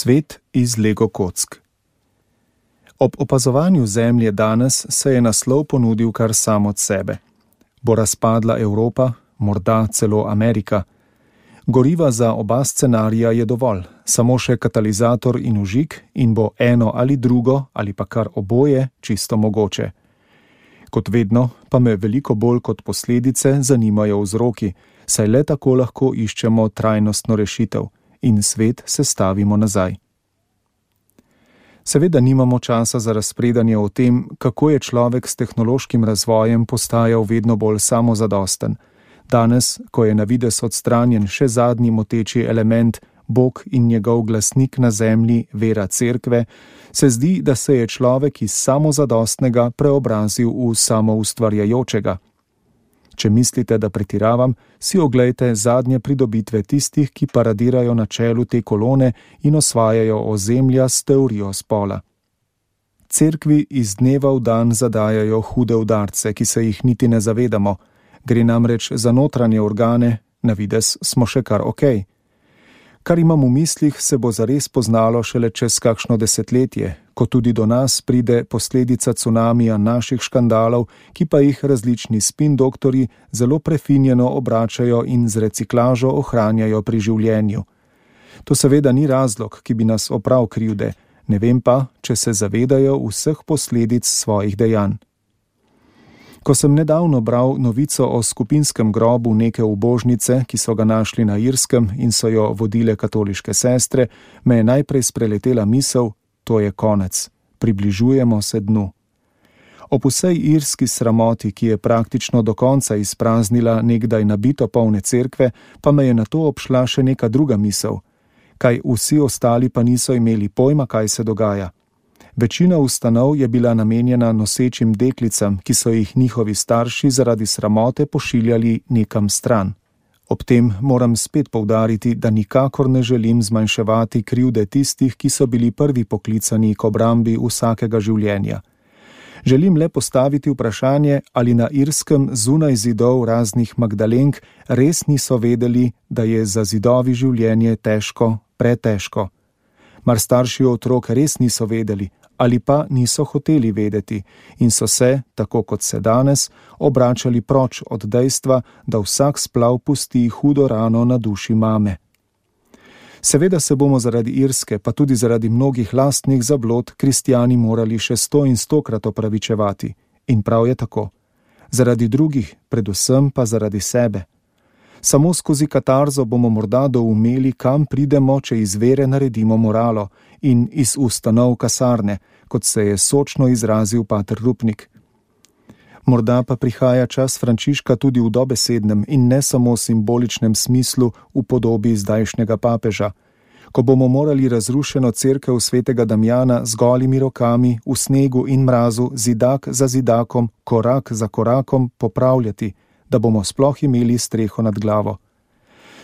Svet iz Lego kock. Ob opazovanju Zemlje danes se je naslov ponudil kar sam od sebe. Bo razpadla Evropa, morda celo Amerika? Goriva za oba scenarija je dovolj, samo še katalizator in vžig in bo eno ali drugo ali pa kar oboje čisto mogoče. Kot vedno pa me veliko bolj kot posledice zanimajo vzroki, saj le tako lahko iščemo trajnostno rešitev in svet sestavimo nazaj. Seveda nimamo časa za razpredanje o tem, kako je človek s tehnološkim razvojem postajal vedno bolj samozadosten. Danes, ko je na videz odstranjen še zadnji moteči element, Bog in njegov glasnik na zemlji, vera cerkve, se zdi, da se je človek iz samozadostnega preobrazil v samoustvarjajočega. Če mislite, da pretiravam, si oglejte zadnje pridobitve tistih, ki paradirajo na čelu te kolone in osvajajo ozemlja s teorijo spola. Cerkvi iz dneva v dan zadajajo hude udarce, ki se jih niti ne zavedamo. Gre namreč za notranje organe, na videz smo še kar okej. Kar imam v mislih, se bo zares poznalo šele čez kakšno desetletje, ko tudi do nas pride posledica cunamija naših škandalov, ki pa jih različni spin doktorji zelo prefinjeno obračajo in z reciklažo ohranjajo pri življenju. To seveda ni razlog, ki bi nas oprav krivde, ne vem pa, če se zavedajo vseh posledic svojih dejanj. Ko sem nedavno bral novico o skupinskem grobu neke ubožnice, ki so ga našli na Irskem in so jo vodile katoliške sestre, me je najprej spreletela misel, to je konec, približujemo se dnu. Ob vsej irski sramoti, ki je praktično do konca izpraznila nekdaj nabito polne cerkve, pa me je nato obšla še neka druga misel. Kaj vsi ostali pa niso imeli pojma, kaj se dogaja. Večina ustanov je bila namenjena nosečim deklicam, ki so jih njihovi starši zaradi sramote pošiljali nekam stran. Ob tem moram spet poudariti, da nikakor ne želim zmanjševati krivde tistih, ki so bili prvi poklicani k obrambi vsakega življenja. Želim le postaviti vprašanje, ali na Irskem zunaj zidov raznih Magdalenk res niso vedeli, da je za zidovi življenje težko, pretežko. Mar starši otrok res niso vedeli, ali pa niso hoteli vedeti in so se, tako kot se danes, obračali proč od dejstva, da vsak splav pusti hudo rano na duši mame. Seveda se bomo zaradi Irske, pa tudi zaradi mnogih lastnih zablod, kristjani morali še 100 in 100krat opravičevati. In prav je tako. Zaradi drugih, predvsem pa zaradi sebe. Samo skozi katarzo bomo morda doumeli, kam pridemo, če iz vere naredimo moralo in iz ustanov kasarne, kot se je sočno izrazil pater Rupnik. Morda pa prihaja čas Frančiška tudi v dobesednem in ne samo simboličnem smislu v podobi zdajšnjega papeža, ko bomo morali razrušeno cerkev svetega Damjana z golimi rokami v snegu in mrazu, zidak za zidakom, korak za korakom popravljati, da bomo sploh imeli streho nad glavo.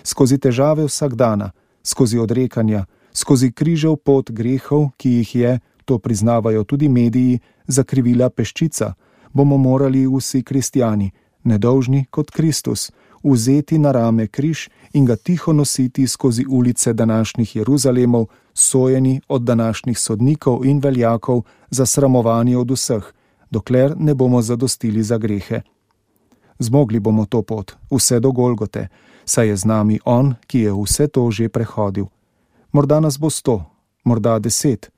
Skozi težave vsakdana, skozi odrekanja, skozi križev pot grehov, ki jih je, to priznavajo tudi mediji, zakrivila peščica, bomo morali vsi kristjani, nedolžni kot Kristus, vzeti na rame križ in ga tiho nositi skozi ulice današnjih Jeruzalemov, sojeni od današnjih sodnikov in veljakov, zasramovani od vseh, dokler ne bomo zadostili za grehe. Zmogli bomo to pot, vse do Golgote, saj je z nami On, ki je vse to že prehodil. Morda nas bo 100, morda 10.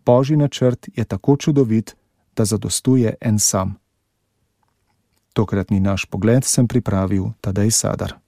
Božji načrt je tako čudovit, da zadostuje en sam. Tokratni naš pogled sem pripravil Tadej Sadar.